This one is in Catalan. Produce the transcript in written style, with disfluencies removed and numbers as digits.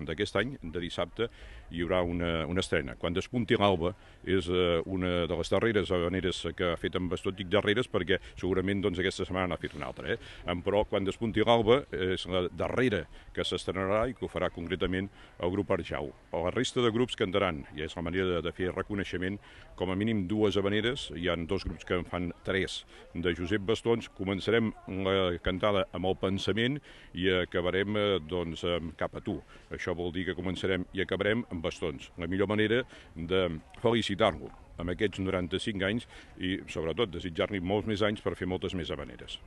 d'aquest any, de dissabte, hi haurà una estrena. Quan despunti l'alba és una de les darreres habaneres que ha fet amb bastó. Dic darreres perquè segurament aquesta setmana n'ha fet una altra, però quan despunti l'alba és la darrera que s'estrenarà i que ho farà concretament el grup Arjau. La resta de grups cantaran, i és la manera de fer reconeixement, com a mínim 2 habaneres, hi ha 2 grups que en fan 3 de Josep Bastons. Començarem la cantada amb el pensament i acabarem amb Cap a tu. Això vol dir que començarem i acabarem amb Bastons. La millor manera de felicitar-lo amb aquests 95 anys i sobretot desitjar-li molts més anys per fer moltes més habaneres.